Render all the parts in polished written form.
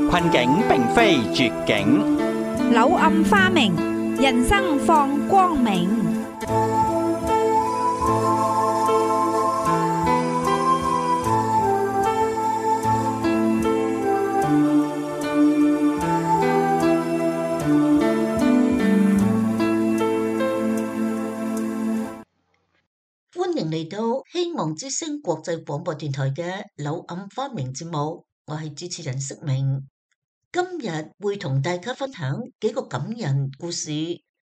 困境並非絕境，柳暗花明，人生放光明。歡迎嚟到希望之聲國際廣播電台嘅柳暗花明節目，我係主持人釋明。今日會同大家分享幾個感人故事，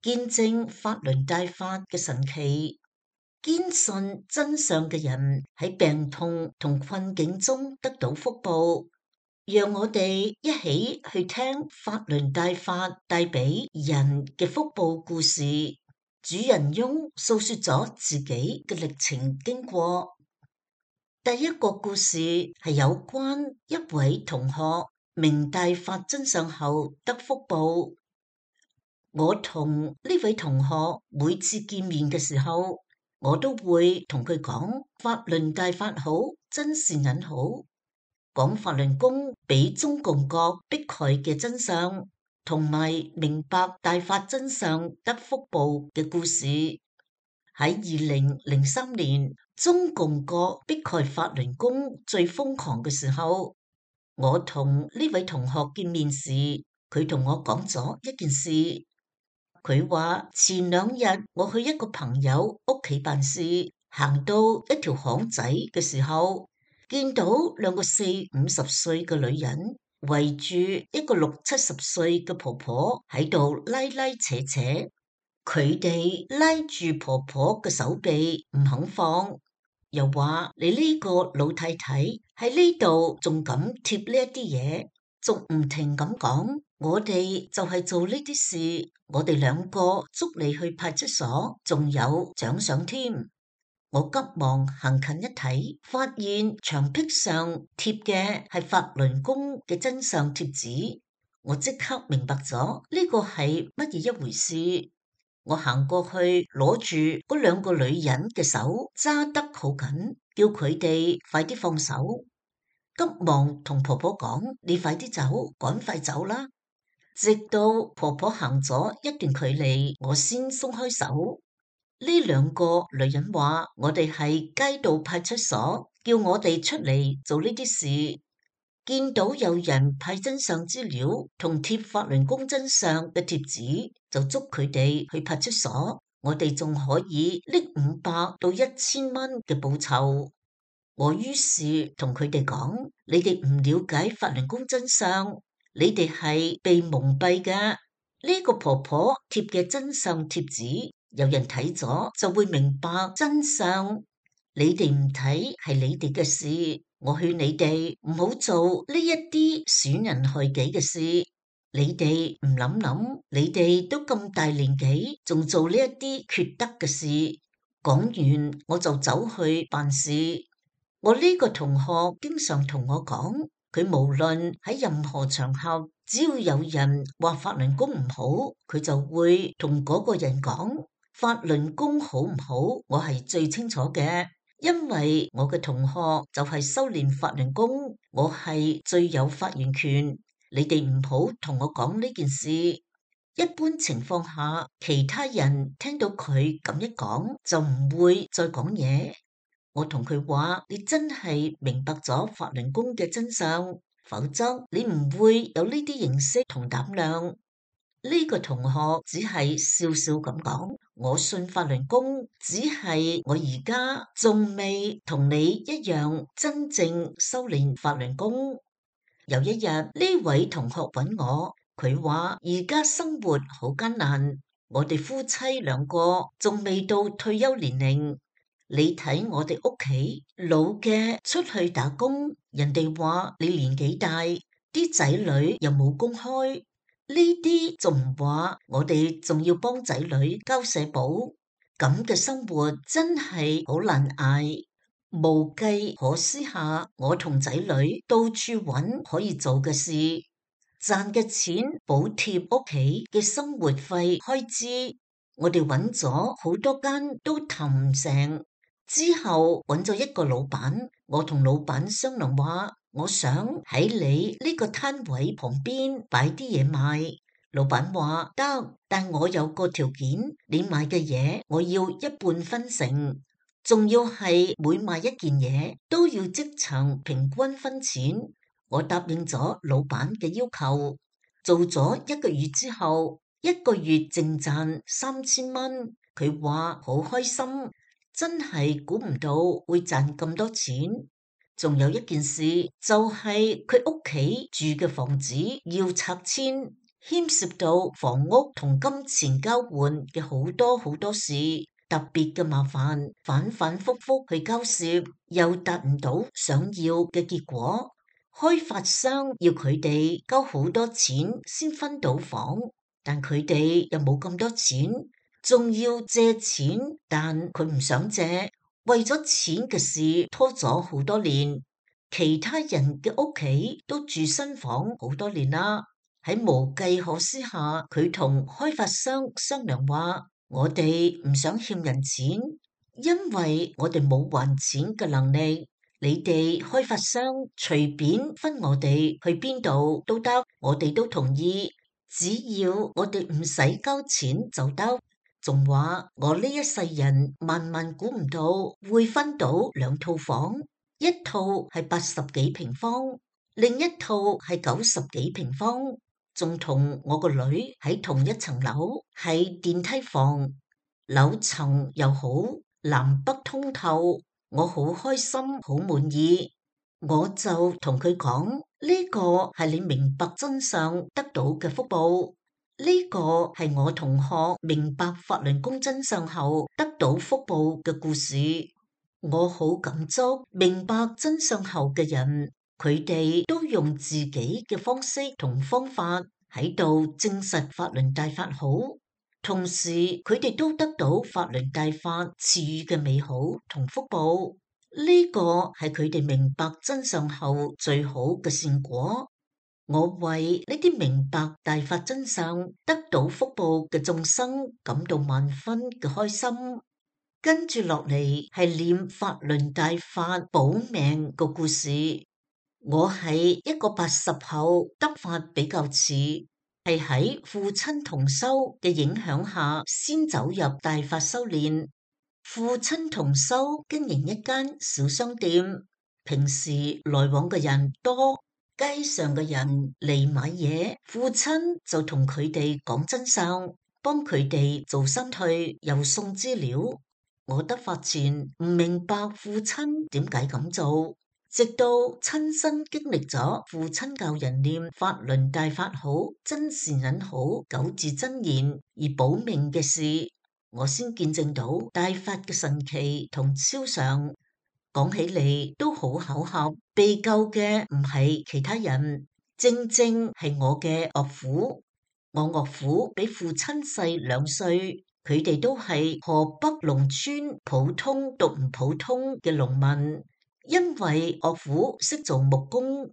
見證法輪大法嘅神奇。堅信真相嘅人喺病痛同困境中得到福報，讓我哋一起去聽法輪大法帶俾人嘅福報故事。主人翁訴說咗自己嘅歷程經過。第一個故事係有關一位同學明大法真相後得福報。我同呢位同學每次見面嘅時候，我都會同佢講法輪大法好，真善忍好，講法輪功俾中共國迫害嘅真相，同埋明白大法真相得福報嘅故事。喺2003年，中共國迫害法輪功最瘋狂嘅時候，我同呢位同學見面時，佢同我講咗一件事。佢話前2日我去一個朋友屋企辦事，行到一條巷仔嘅時候，見到2個40-50歲嘅女人圍住一個60-70歲嘅婆婆喺度拉拉扯扯，佢哋拉住婆婆嘅手臂唔肯放，又話你呢個老太太喺呢度仲敢貼呢一啲嘢，仲唔停咁講，我哋就係做呢啲事，我哋2個捉你去派出所，仲有獎賞添。我急忙行近一睇，發現牆壁上貼嘅係法輪功嘅真相貼紙，我即刻明白咗呢個係乜嘢一回事。我行過去攞住嗰2個女人嘅手揸得好緊，叫佢哋快啲放手，急忙同婆婆講，你快啲走，趕快走啦。直到婆婆行咗一段距離，我先鬆開手。呢2個女人話我哋係街道派出所，叫我哋出嚟做呢啲事，見到有人派真相資料同貼法輪功真相嘅貼紙，就捉佢哋去派出所，我哋仲可以拎500到1000蚊嘅報酬。我於是同佢哋講，你哋唔了解法輪功真相，你哋係被蒙蔽㗎。呢個婆婆貼嘅真相貼紙，有人睇咗就會明白真相，你哋唔睇係你哋嘅事，我勸你哋唔好做呢一啲損人害己嘅事。你哋唔諗諗，你哋都咁大年紀，仲做呢一啲缺德嘅事。講完我就走去辦事。我呢個同學經常同我講，佢無論喺任何場合，只要有人話法輪功唔好，佢就會同嗰個人講，法輪功好唔好，我係最清楚嘅，因為我嘅同學就係修煉法輪功，我係最有發言權。你哋唔好同我講呢件事。一般情況下，其他人聽到佢咁一講，就唔會再講嘢。我同佢話，你真係明白咗法輪功嘅真相，否則你唔會有呢啲認識同膽量。呢個同學只係笑笑咁講，我信法輪功，只係我而家仲未同你一樣真正修煉法輪功。有一日，呢位同學揾我，佢話而家生活好艱難，我哋夫妻2個仲未到退休年齡。你睇我哋屋企老嘅出去打工，人哋話你年紀大，啲仔女又冇工開，呢啲仲唔話，我哋仲要幫仔女交社保，咁嘅生活真係好難捱。無計可施下，我同仔女到處揾可以做嘅事，賺嘅錢補貼屋企嘅生活費開支，我哋揾咗好多間都談唔成。之後揾咗一個老闆，我同老闆商量話，我想喺你呢個攤位旁邊擺啲嘢賣。老闆話得，但我有個條件，你賣嘅嘢我要一半分成，仲要係每賣一件嘢都要即場平均分錢。我答應咗老闆嘅要求，做咗1個月之後，1個月淨賺3000蚊。佢話好開心，真係估唔到會賺咁多錢。仲有一件事，就係佢屋企住嘅房子要拆遷，牽涉到房屋同金錢交換嘅好多事，特別嘅麻煩，反复覆去交涉，又達唔到想要嘅結果。開發商要佢哋交好多錢先分到房，但佢哋又冇咁多錢，仲要借錢，但佢唔想借。為咗錢嘅事拖咗好多年，其他人嘅屋企都住新房好多年啦。喺無計可施下，佢同開發商商量話：我哋唔想欠人錢，因為我哋冇還錢嘅能力。你哋開發商隨便分我哋去邊度都得，我哋都同意，只要我哋唔使交錢就得。仲話我呢一世人萬估唔到會分到2套房，一套係80幾平方，另一套係90幾平方，仲同我個女喺同一層樓，係電梯房，樓層又好，南北通透，我好開心，好滿意。我就同佢講，呢個係你明白真相得到嘅福報。呢個係我同學明白法輪功真相後得到福報嘅故事。我好感觸明白真相後嘅人，佢哋都用自己嘅方式同方法喺度證實法輪大法好，同時佢哋都得到法輪大法賜予嘅美好同福報。呢個係佢哋明白真相後最好嘅善果。我為呢啲明白大法真相得到福報嘅眾生感到萬分嘅開心。跟住落嚟係念法輪大法保命個故事。我係一個80後，得法比較遲，係喺父親同修嘅影響下先走入大法修煉。父親同修經營一間小商店，平時來往嘅人多。街上嘅人嚟買嘢，父親就同佢哋講真相，幫佢哋做身退，又送資料。我得法前唔明白父親點解咁做，直到親身經歷咗父親教人念法輪大法好、真善忍好9字真言而保命嘅事，我先見證到大法嘅神奇同超常。講起嚟都好巧合，被救嘅唔係其他人，正係我嘅岳父。我岳父比父親細2歲，佢哋都係河北農村普通讀唔普通嘅農民。因為岳父識做木工，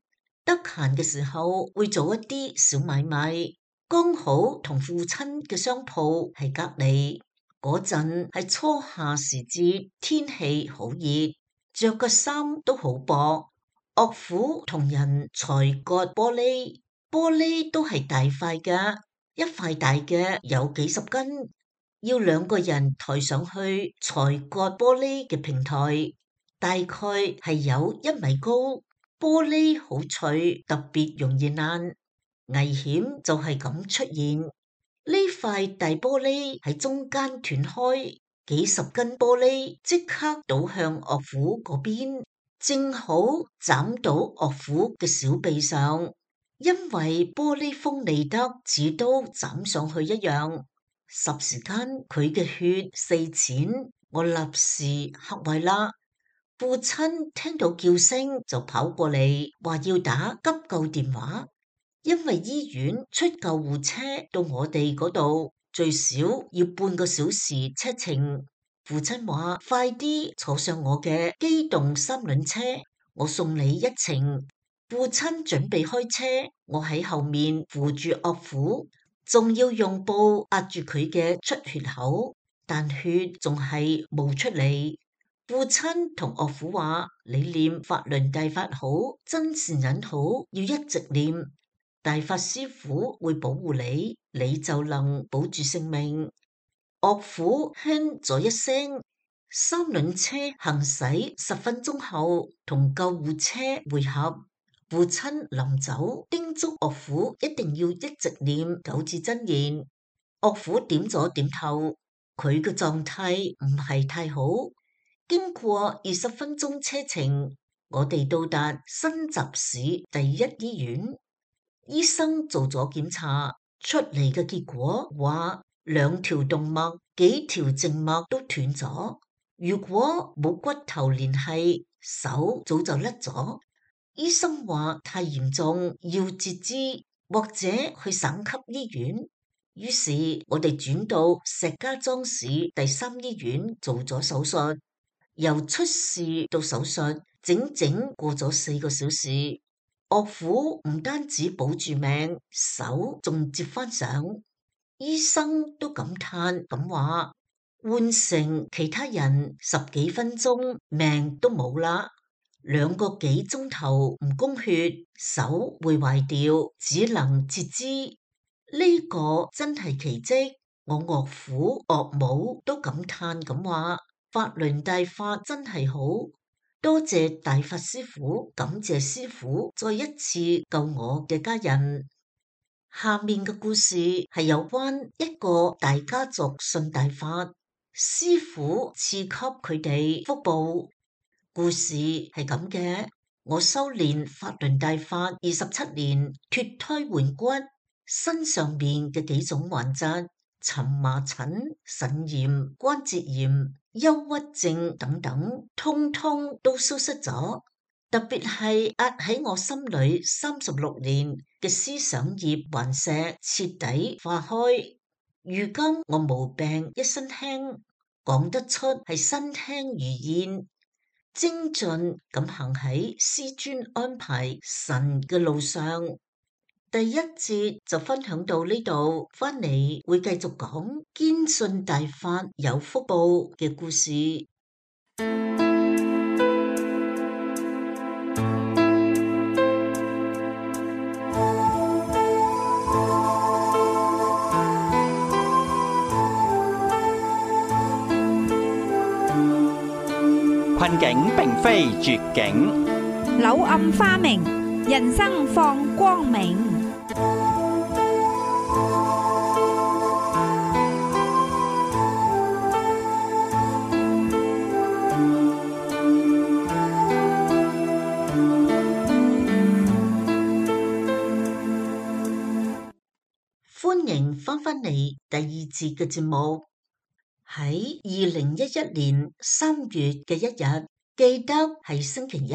得閒嘅時候會做一啲小買賣，剛好同父親嘅商鋪係隔籬。嗰陣係初夏時節，天氣好熱。着個衫都好薄，岳父同人裁割玻璃，玻璃都係大塊嘅，一塊大嘅有幾十斤，要2個人抬上去裁割玻璃嘅平台，大概係有1米高，玻璃好脆，特別容易爛，危險就係咁出現。呢塊大玻璃喺中間斷開。幾十斤玻璃即刻倒向岳父嗰邊，正好斬到岳父嘅小臂上，因為玻璃鋒利得似刀斬上去一樣。霎時間佢嘅血四濺，我立時嚇壞啦。父親聽到叫聲就跑過嚟，話要打急救電話，因為醫院出救護車到我哋嗰度。最少要半個小時車程。父親話：快啲坐上我嘅機動3輪車，我送你一程。父親準備開車，我喺後面扶住岳父，仲要用布壓住佢嘅出血口，但血仲係冒出嚟。父親同岳父話：你念法輪大法好，真善忍好，要一直念。大法師父會保護你，你就能保住性命。岳父哼咗一聲，三輪車行駛10分鐘後，同救護車會合。父親臨走叮囑岳父一定要一直念九字真言。岳父點咗點頭，佢嘅狀態唔係太好。經過20分鐘車程，我哋到達新集市第一醫院。醫生做咗檢查，出嚟嘅結果話2條動脈、幾條靜脈都斷咗。如果冇骨頭聯繫，手早就甩咗。醫生話太嚴重，要截肢或者去省級醫院。於是我哋轉到石家莊市第3醫院做咗手術。由出事到手術，整整過咗4個小時。岳父唔單止保住命，手仲接翻上。醫生都感嘆咁話，換成其他人10幾分鐘命都冇啦。2個幾鐘頭唔供血，手會壞掉，只能截肢。呢個真係奇蹟。我岳父岳母都感嘆咁話，法輪大法真係好，多謝大法師父，感謝師父再一次救我嘅家人。下面嘅故事係有關一個大家族信大法，師父賜給佢哋福報。故事係咁嘅，我修煉法輪大法27年，脫胎換骨，身上面嘅幾種患疾、蕁麻疹、腎炎、關節炎、憂鬱症等等，通通都消失咗。特別係壓喺我心裏36年嘅思想業頑石徹底化開。如今我無病一身輕，講得出係身輕如燕。精進咁行喺師尊安排神嘅路上。第1節就分享到呢度，翻嚟會繼續講堅信大法有福報嘅故事。困境並非絕境，柳暗花明，人生放光明。歡迎翻返嚟第2節嘅節目。喺2011年3月嘅1日，記得係星期一，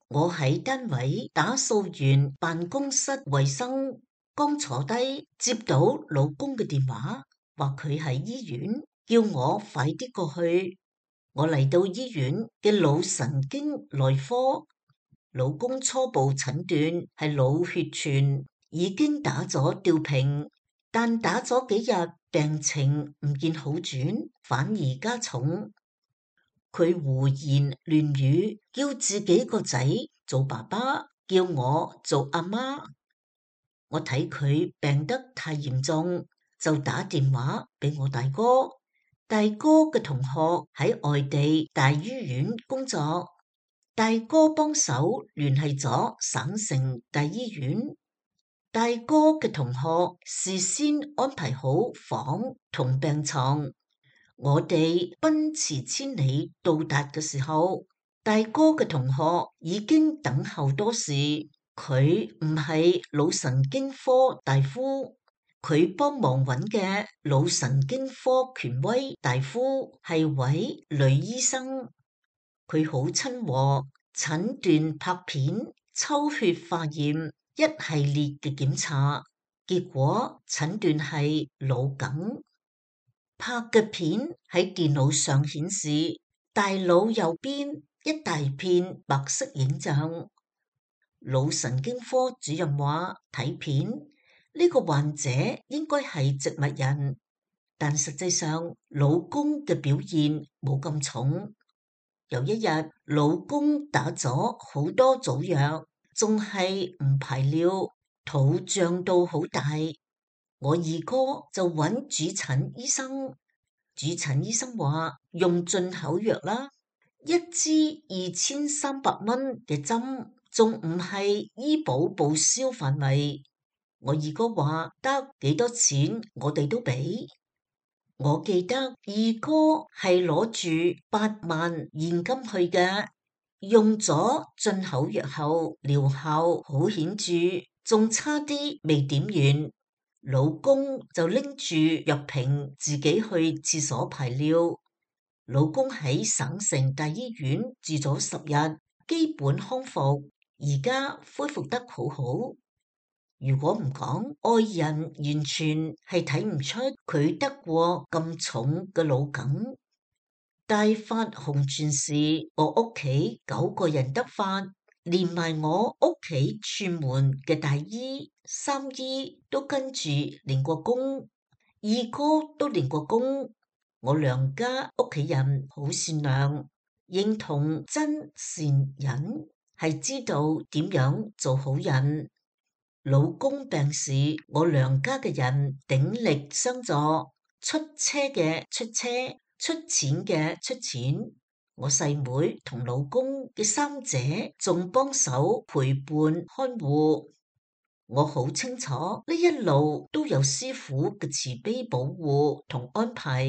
我喺單位打掃完辦公室衛生，剛坐低接到老公嘅電話，話佢喺醫院，叫我快啲過去。我嚟到醫院嘅腦神經內科，老公初步診斷係腦血栓，已經打咗吊瓶，但打咗幾日，病情唔見好轉，反而加重。佢胡言亂語，叫自己個仔做爸爸，叫我做阿媽。我睇佢病得太嚴重，就打電話俾我大哥。大哥嘅同學喺外地大醫院工作，大哥幫手聯繫咗省城大醫院。大哥嘅同學事先安排好房同病床，我哋奔馳千里到達嘅時候，大哥嘅同學已經等候多時。佢唔係腦神經科大夫，佢幫忙揾嘅腦神經科權威大夫係位女醫生，佢好親和，診斷拍片、抽血化驗一系列嘅檢查，結果診斷係腦梗。拍嘅片喺電腦上顯示，大腦右邊一大片白色影像。腦神經科主任話睇片呢個患者應該係植物人，但實際上老公嘅表現冇咁重。有一日，老公打咗好多組藥，仲係唔排尿，肚脹到好大。我二哥就揾主診醫生，主診醫生話用進口藥啦，一支2300蚊嘅針，仲唔係醫保報銷範圍。我二哥話得，幾多錢我哋都俾。我記得二哥係攞住8萬現金去嘅，用咗進口藥後療效好顯著，仲差啲未點完，老公就拎住藥瓶自己去廁所排尿。老公喺省城大醫院住咗10日，基本康復，而家恢復得好好。如果唔講，外人完全係睇唔出佢得過咁重嘅腦梗。大發紅傳時，我屋企9個人得發，連埋我屋企串門嘅大姨、三姨都跟住練過功，二哥都練過功。我娘家屋企人好善良，認同真善忍，係知道點樣做好人。老公病時，我娘家嘅人鼎力相助，出車嘅出車，出錢嘅出錢。我細妹同老公嘅三姐仲幫手陪伴看護。我好清楚呢一路都有師傅嘅慈悲保護同安排。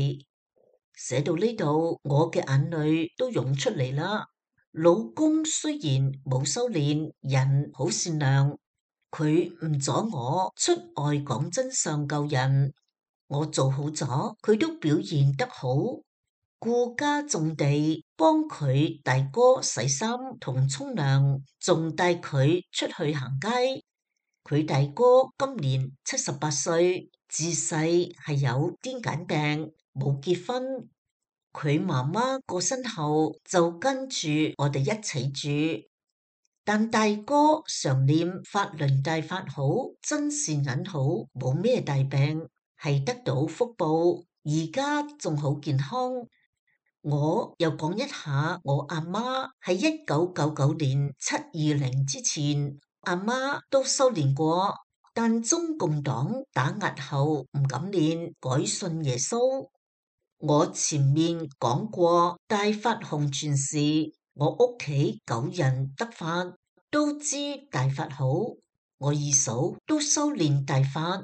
寫到呢度，我嘅眼淚都湧出嚟啦。老公雖然冇修煉，人好善良。佢唔阻我出外講真相救人，我做好咗，佢都表現得好，顧家種地，幫佢大哥洗衫同沖涼，仲帶佢出去行街。佢大哥今年78歲，自細係有癲癇病，冇結婚。佢媽媽過身後就跟住我哋一齊住。但大哥常念法輪大法好，真善忍好，冇咩大病，係得到福報，而家仲好健康。我又講一下我阿媽喺1999年720之前，阿媽都修煉過，但中共黨打壓後唔敢練，改信耶穌。我前面講過大法紅傳時，我屋企9人得法，都知大法好。我二嫂都修煉大法。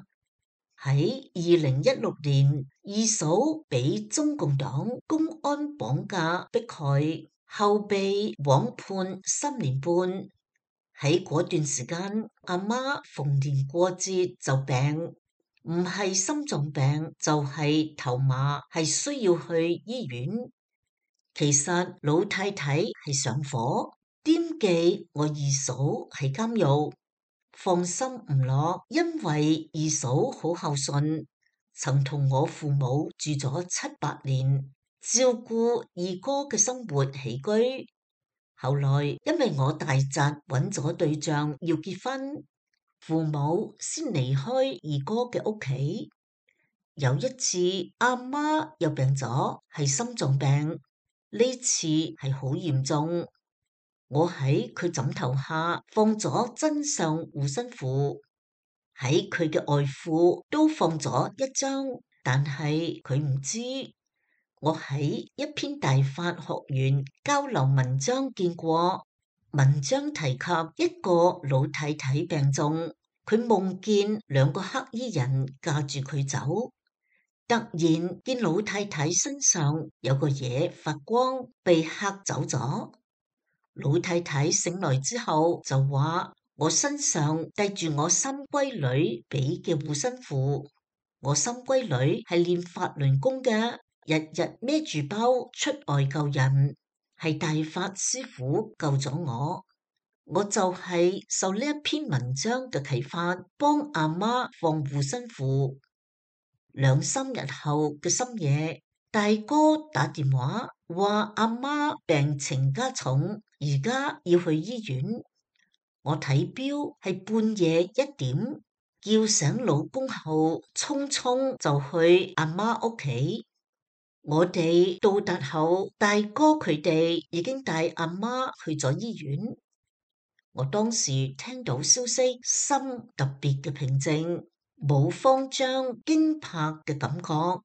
喺2016年，二嫂俾中共黨公安綁架迫害，後被枉判3年半。喺嗰段時間，阿媽逢年過節就病，唔係心臟病就係頭麻，係需要去醫院。其實老太太係上火，惦記我二嫂喺監獄，放心唔落，因為二嫂好孝順，曾同我父母住咗7-8年，照顧二哥嘅生活起居。後來因為我大侄揾咗對象要結婚，父母先離開二哥嘅屋企。有一次阿媽又病咗，係心臟病，呢次係好嚴重。我喺佢枕頭下放咗真相護身符，喺佢嘅外父都放咗一張，但係佢唔知。我喺一篇大法學園交流文章見過，文章提及一個老太太病重，佢夢見2個黑衣人架住佢走，突然見老太太身上有個嘢發光，被嚇走咗。老太太醒來之後就話：我身上帶住我三閨女俾嘅護身符，我三閨女係練法輪功嘅，日日孭住包出外救人，係大法師父救咗我。我就係受呢一篇文章嘅啟發，幫阿媽放護身符。2-3日後嘅深夜，大哥打電話話阿媽病情加重，而家要去醫院。我睇錶係半夜1點，叫醒老公後，匆匆就去阿媽屋企。我哋到達後，大哥佢哋已經帶阿媽去咗醫院。我當時聽到消息，心特別嘅平靜，冇慌張驚怕嘅感覺，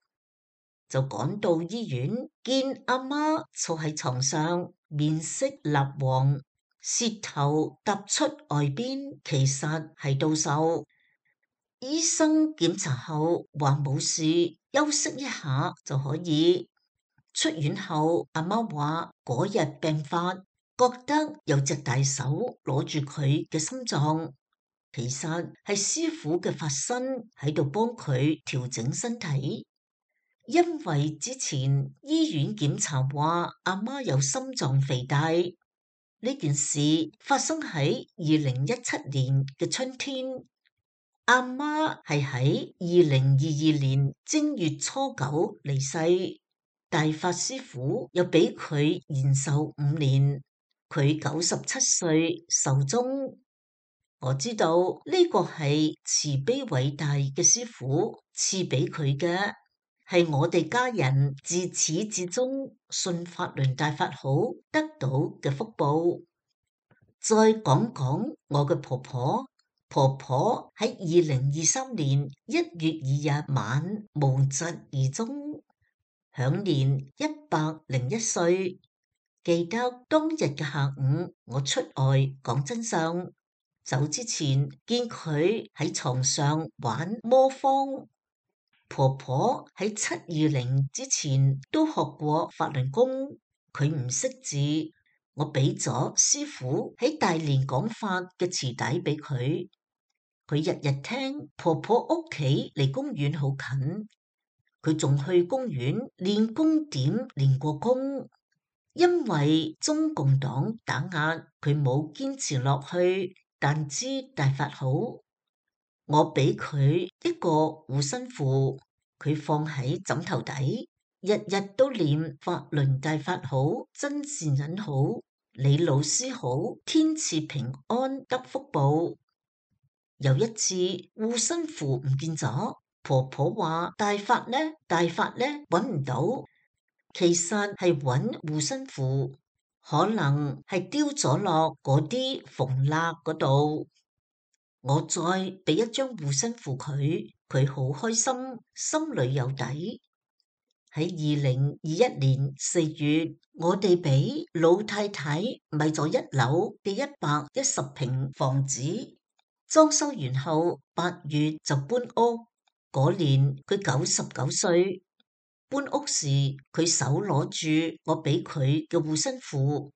就趕到醫院，見阿媽坐喺床上，面色蠟黃，舌頭突出外邊，其實係倒數。醫生檢查後話冇事，休息一下就可以。出院後，阿媽話嗰日病發，覺得有隻大手攞住佢嘅心臟，其實係師傅嘅法身喺度幫佢調整身體。因為之前醫院檢查話阿媽有心臟肥大，呢件事發生喺2017年嘅春天。阿媽係喺2022年正月初9離世，大法師父又俾佢延壽5年，佢97歲壽終。我知道呢個係慈悲偉大嘅師父賜俾佢嘅，係我哋家人自始至終信法輪大法好得到嘅福報。再講講我嘅婆婆。婆婆喺2023年1月2日晚無疾而終，享年101歲。記得當日嘅下午，我出外講真相，走之前見佢喺床上玩魔方。婆婆喺720之前都學過法輪功，佢唔識字，我俾咗師父喺大連講法嘅磁帶俾佢。佢日日聽。婆婆屋企離公園好近，佢仲去公園練功點練過功。因為中共黨打壓，佢冇堅持落去，但知大法好。我俾佢一個護身符，佢放喺枕頭底，日日都念法輪大法好，真善人好，李老師好，天賜平安得福報。有一次護身符唔見咗，婆婆話大法呢？大法呢？揾唔到，其實係揾護身符，可能係丟咗落嗰啲縫罅嗰度。我再俾一張護身符佢，佢好開心，心裏有底。喺2021年4月，我哋俾老太太買咗1樓嘅110平房子。裝修完後8月就搬屋，嗰年佢99歲。搬屋時佢手攞住我俾佢嘅護身符，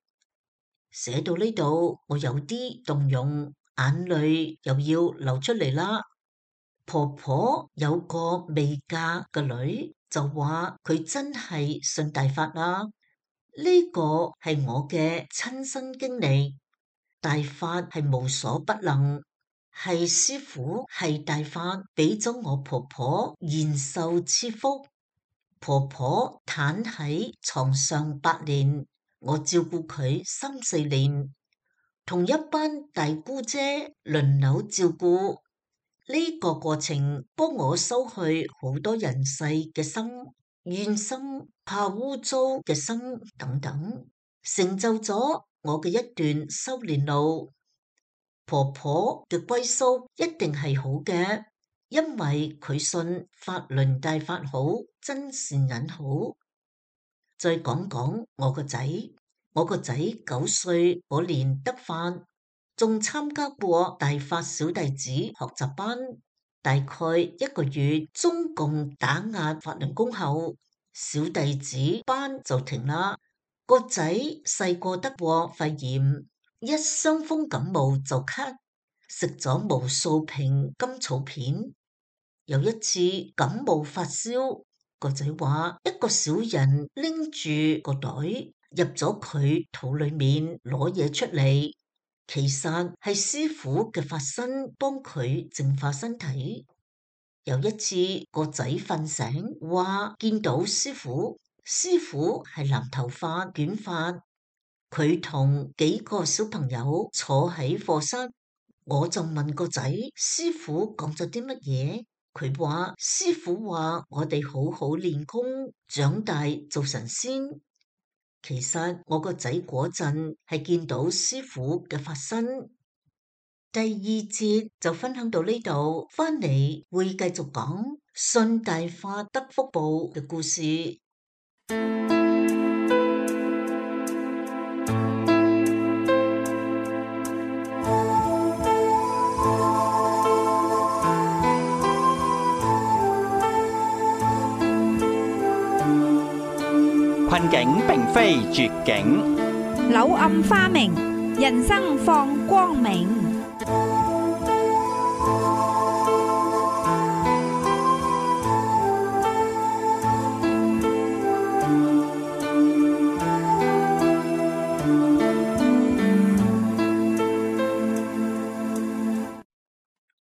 寫到呢度我有啲動容，眼淚又要流出嚟啦。婆婆有個未嫁嘅女就話佢真係信大法啦，呢個係我嘅親身經歷，大法係無所不能。係師父係大法俾咗我婆婆延壽賜福，婆婆癱喺床上8年，我照顧佢3、4年，同一班大姑姐輪流照顧。呢個過程幫我收去好多人世嘅心、怨心、怕污糟嘅心等等，成就咗我嘅一段修煉路。婆婆嘅歸宿一定係好嘅，因為佢信法輪大法好，真善人好。再講講我個仔，我個仔9歲嗰年得法，仲參加過大法小弟子學習班。大概1個月，中共打壓法輪功後，小弟子班就停啦。個仔細個得過肺炎，一傷風感冒就咳，食咗無數瓶甘草片。有一次感冒發燒，個仔話一個小人拎住個袋入咗佢肚裏面攞嘢出嚟，其實係師父嘅法身幫佢淨化身體。有一次個仔瞓醒，話見到師父，師父係藍頭髮捲髮，佢同幾個小朋友坐喺課室，我就問個仔，師父講咗啲乜嘢？佢話師傅話我哋好好練功，長大做神仙。其實我個仔嗰陣係見到師傅嘅法身。第二節就分享到呢度，翻嚟會繼續講信大法得福報嘅故事。困境並非絕境，柳暗花明，人生放光明。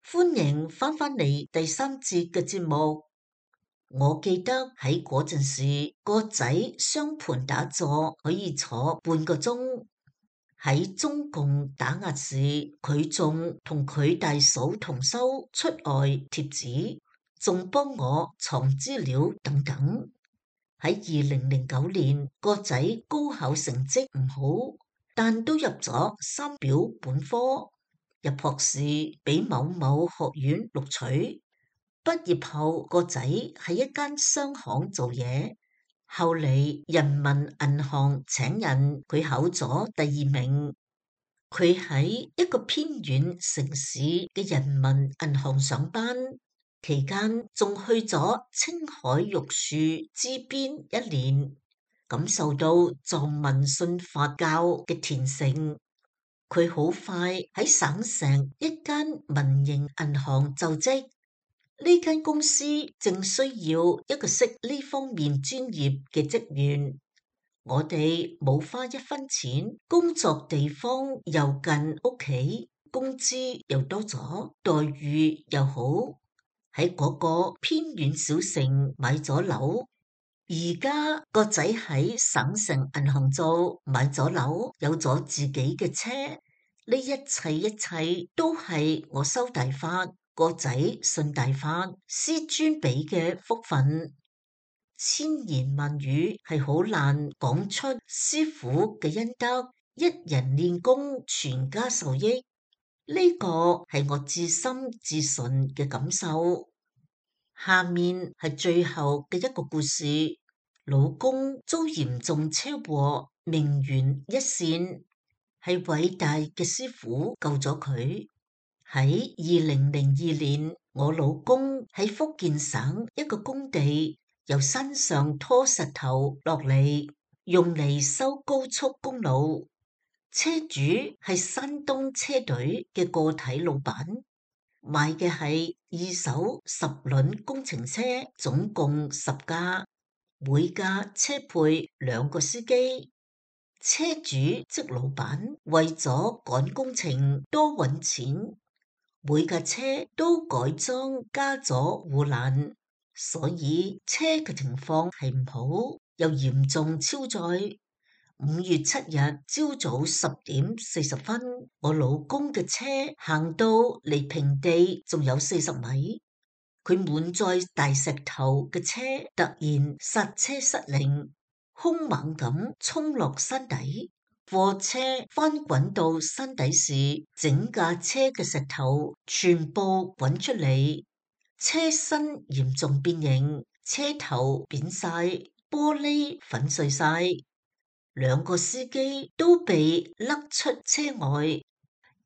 歡迎翻返嚟第三節嘅節目。我記得喺嗰陣時，個仔雙盤打坐可以坐半個鐘。喺中共打壓時，佢仲同佢大嫂同修出外貼紙，仲幫我藏資料等等。喺2009年，個仔高考成績唔好，但都入咗三表本科，入學時俾某某學院錄取。畢業後，個仔喺一間商行做嘢，後嚟人民銀行請人，佢考咗第2名。佢喺一個偏遠城市嘅人民銀行上班，期間仲去咗青海玉樹支邊1年，感受到藏民信佛教嘅虔誠。佢好快喺省城一間民營銀行就職。呢間公司正需要一個識呢方面專業嘅職員。我哋冇花一分錢，工作地方又近屋企，工資又多咗，待遇又好。喺嗰個偏遠小城買咗樓，而家個仔喺省城銀行做，買咗樓，有咗自己嘅車。呢一切都係我修大法，個仔信大法，師尊俾嘅福分。千言萬語係好難講出師父嘅恩德，一人練功，全家受益。呢個係我至深至純嘅感受。下面係最後嘅一個故事，老公遭嚴重車禍，命懸一線，係偉大嘅師父救咗佢。喺2002年，我老公喺福建省一個工地由山上拖石頭落嚟，用嚟修高速公路。車主係山東車隊嘅個體老闆，買嘅係2手10輪工程車，總共10架，每架車配2個司機。車主即老闆為咗趕工程多搵錢，每架車都改裝加咗護欄，所以車嘅情況係唔好，又嚴重超載。5月7日朝早10點40分，我老公嘅車行到離平地仲有40米，佢滿載大石頭嘅車突然剎車失靈，兇猛咁衝落山底。貨車翻滾到山底時，整架車嘅石頭全部滾出嚟，車身嚴重變形，車頭扁晒，玻璃粉碎晒，2個司機都被甩出車外，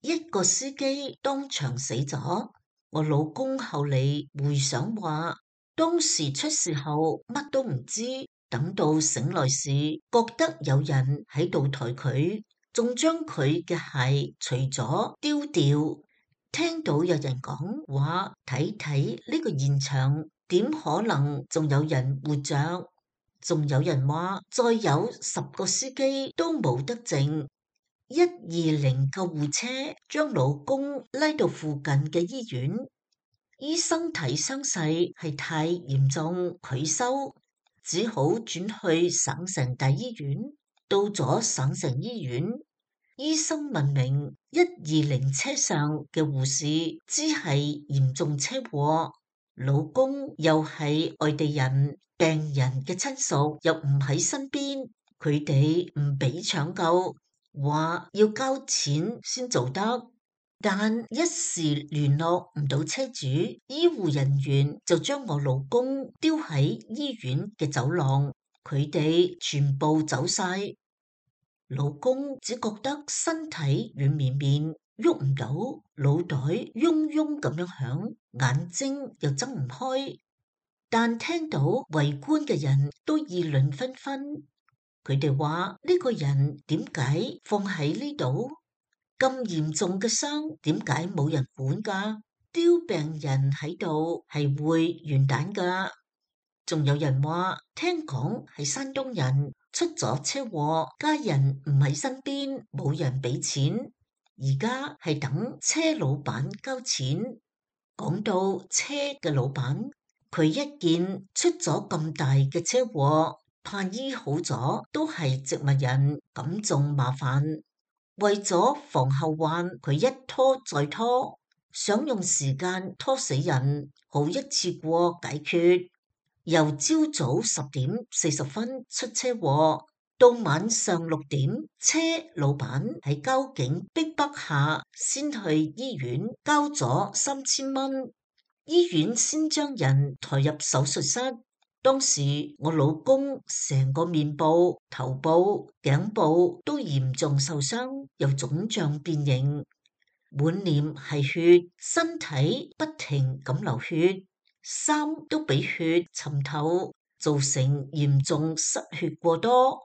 一個司機當場死咗。我老公後嚟回想話，當時出事後乜都唔知。等到醒來時，覺得有人喺度抬佢，仲將佢嘅鞋除咗丟掉。聽到有人講話，睇睇呢個現場，點可能仲有人活着？仲有人話，再有10個司機都冇得剩。120救護車將老公拉到附近嘅醫院，醫生睇傷勢係太嚴重，拒收。只好轉去省城大醫院。到咗省城醫院，醫生問明120車上嘅護士知係嚴重車禍，老公又係外地人，病人嘅親屬又唔喺身邊，佢哋唔俾搶救，話要交錢先做得。但一時聯絡唔到車主，醫護人員就將我老公丟喺醫院嘅走廊，佢哋全部走晒。老公只覺得身體軟綿綿，喐唔到，腦袋嗡嗡咁樣響，眼睛又睜唔開。但聽到圍觀嘅人都議論紛紛，佢哋話呢個人點解放喺呢度？咁嚴重嘅傷，點解冇人管㗎？丟病人喺度係會完蛋㗎。仲有人話，聽講係山東人出咗車禍，家人唔喺身邊，冇人俾錢，而家係等車老闆交錢。講到車嘅老闆，佢一見出咗咁大嘅車禍，怕醫好咗都係植物人，咁仲麻煩。為咗防後患，佢一拖再拖，想用時間拖死人，好一次過解決。由朝早10:40出車禍，到晚上6點，車老闆喺交警逼迫下，先去醫院交咗3000蚊，醫院先將人抬入手術室。當時我老公成個面部、頭部、頸部都嚴重受傷，又腫脹變形，滿臉係血，身體不停咁流血，衫都俾血浸透，造成嚴重失血過多。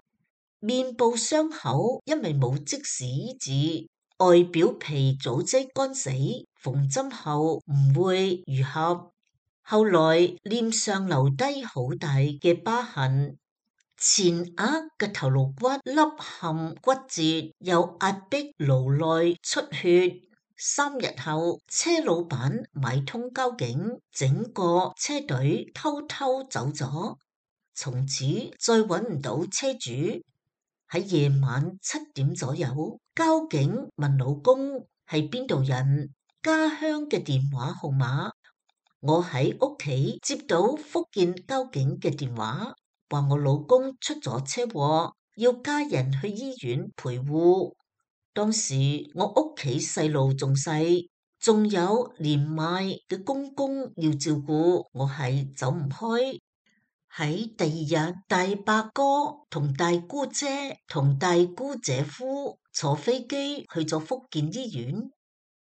面部傷口因為冇即時醫治，外表皮組織乾死，縫針後唔會愈合。後來臉上留低好大嘅疤痕，前額嘅頭顱骨凹陷骨折，又壓迫顱內出血。3日後，車老闆買通交警，整個車隊偷偷走咗，從此再揾唔到車主。喺夜晚7點左右，交警問老公係邊度人，家鄉嘅電話號碼。我喺屋企接到福建交警嘅電話，話我老公出咗車禍，要家人去醫院陪護。當時我屋企細路仲細，仲有年邁嘅公公要照顧，我係走唔開。喺第二日，大伯哥同大姑姐同大姑姐夫坐飛機去咗福建醫院。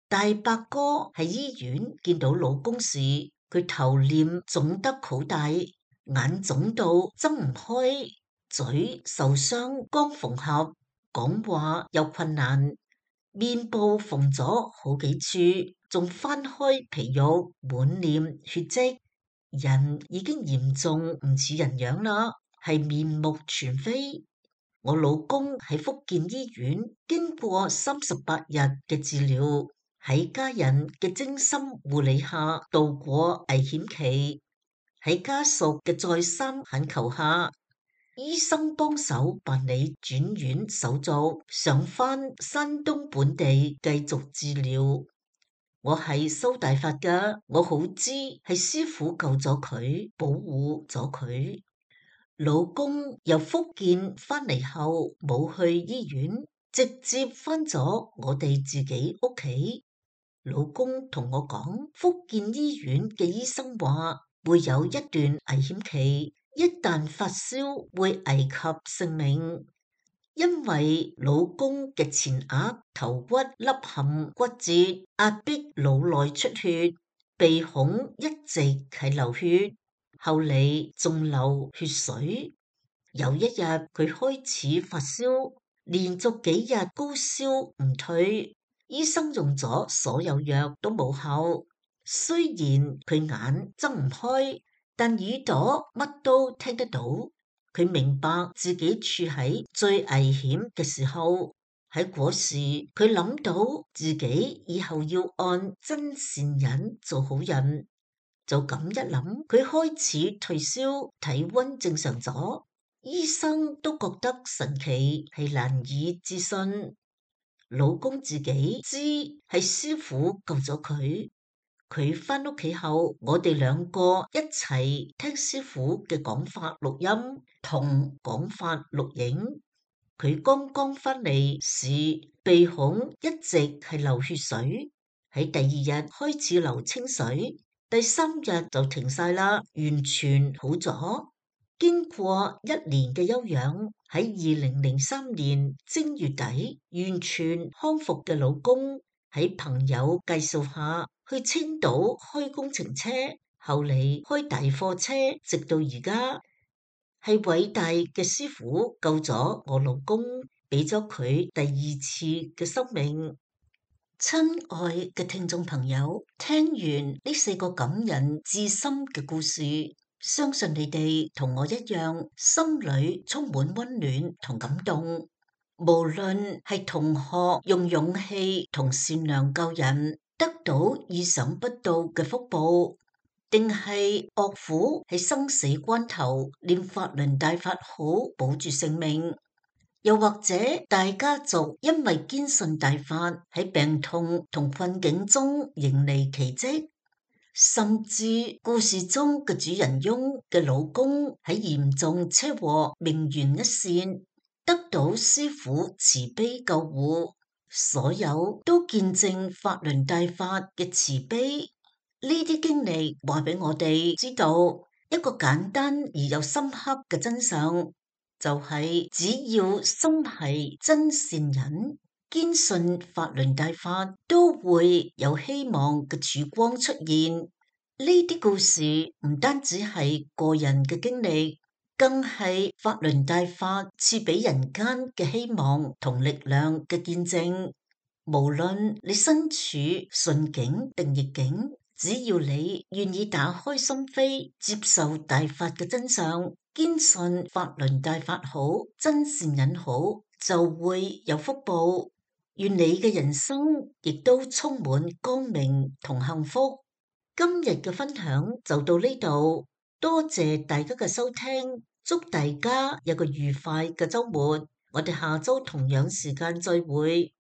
大伯哥喺醫院見到老公時，佢頭臉腫得好大，眼腫到睜唔開，嘴受傷剛縫合，講話有困難，面部縫咗好幾處，仲翻開皮肉，滿臉血跡，人已經嚴重唔似人樣啦，係面目全非。我老公喺福建醫院經過38日嘅治療，喺家人嘅精心護理下度過危險期，喺家屬嘅再三懇求下，醫生幫手辦理轉院手續，上返山東本地繼續治療。我係修大法㗎，我好知係師傅救咗佢，保護咗佢。老公由福建翻嚟後冇去醫院，直接翻咗我哋自己屋企。老公同我講，福建醫院嘅醫生話會有一段危險期，一旦發燒會危及性命。因為老公嘅前額頭骨凹陷骨折，壓迫腦內出血，鼻孔一直係流血，後嚟仲流血水。有一日佢開始發燒，連續幾日高燒唔退，醫生用咗所有藥都冇效。雖然佢眼睜唔開，但耳朵乜都聽得到。佢明白自己處喺最危險嘅時候，喺嗰時佢諗到自己以後要按真善忍做好人，就咁一諗，佢開始退燒，體溫正常咗，醫生都覺得神奇，係難以置信。老公自己知係師傅救咗佢，佢返屋企後，我哋兩個一齊聽師傅嘅講法錄音同講法錄影。佢剛剛返嚟時，鼻孔一直係流血水，喺第二日開始流清水，第3日就停晒啦，完全好咗。經過1年嘅休養，喺2003年正月底完全康復嘅老公，喺朋友介紹下去青島開工程車，後嚟開大貨車，直到而家。係偉大嘅師傅救咗我老公，俾咗佢第2次嘅生命。親愛嘅聽眾朋友，聽完呢4個感人至深嘅故事，相信你哋同我一樣，心裏充滿溫暖同感動。無論係同學用勇氣同善良救人，得到意想不到嘅福報，定係岳父喺生死關頭念法輪大法好保住性命，又或者大家族因為堅信大法喺病痛同困境中迎嚟奇蹟，甚至故事中嘅主人翁嘅老公喺嚴重車禍命懸一線，得到師父慈悲救護，所有都見證法輪大法嘅慈悲。呢啲經歷話俾我哋知道一個簡單而又深刻嘅真相，就係只要心係真善人，堅信法輪大法都會有希望嘅曙光出現。呢啲故事唔單止係個人嘅經歷，更係法輪大法賜俾人間嘅希望同力量嘅見證。無論你身處順境定逆境，只要你願意打開心扉，接受大法嘅真相，堅信法輪大法好，真善忍好，就會有福報。願你嘅人生亦都充滿光明同幸福。今日嘅分享就到呢度，多謝大家嘅收聽，祝大家有個愉快嘅週末。我哋下週同樣時間再會。